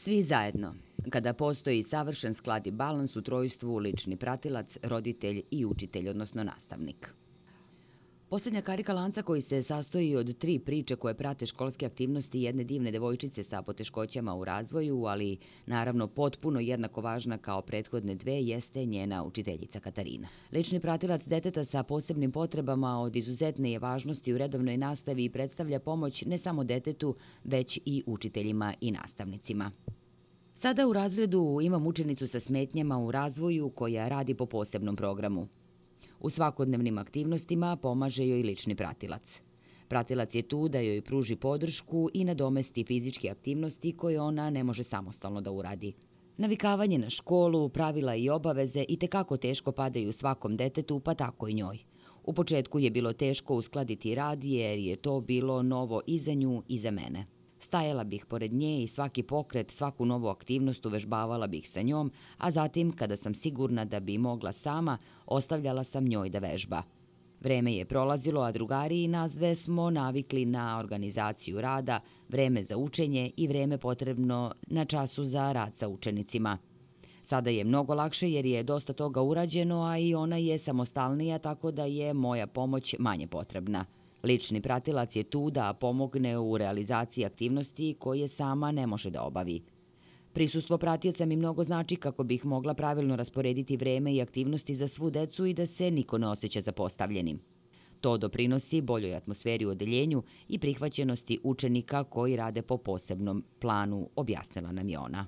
Svi zajedno. Kada postoji savršen sklad i balans u trojstvu lični pratilac, roditelj i učitelj, odnosno nastavnik. Posljednja karika lanca koji se sastoji od 3 priče koje prate školske aktivnosti jedne divne devojčice sa poteškoćama u razvoju, ali naravno potpuno jednako važna kao prethodne 2, jeste njena učiteljica Katarina. Lični pratilac deteta sa posebnim potrebama od izuzetne je važnosti u redovnoj nastavi i predstavlja pomoć ne samo detetu, već i učiteljima i nastavnicima. Sada u razredu imam učenicu sa smetnjama u razvoju koja radi po posebnom programu. U svakodnevnim aktivnostima pomaže joj lični pratilac. Pratilac je tu da joj pruži podršku i nadomesti fizičke aktivnosti koje ona ne može samostalno da uradi. Navikavanje na školu, pravila i obaveze itekako teško padaju svakom detetu, pa tako i njoj. U početku je bilo teško uskladiti rad jer je to bilo novo i za nju i za mene. Stajala bih pored nje i svaki pokret, svaku novu aktivnost uvežbavala bih sa njom, a zatim, kada sam sigurna da bi mogla sama, ostavljala sam njoj da vežba. Vreme je prolazilo, a drugari i nas dve smo navikli na organizaciju rada, vreme za učenje i vreme potrebno na času za rad sa učenicima. Sada je mnogo lakše jer je dosta toga urađeno, a i ona je samostalnija, tako da je moja pomoć manje potrebna. Lični pratilac je tu da pomogne u realizaciji aktivnosti koje sama ne može da obavi. Prisustvo pratioca mi mnogo znači kako bih mogla pravilno rasporediti vreme i aktivnosti za svu decu i da se niko ne osjeća zapostavljenim. To doprinosi boljoj atmosferi u odeljenju i prihvaćenosti učenika koji rade po posebnom planu, objasnila nam je ona.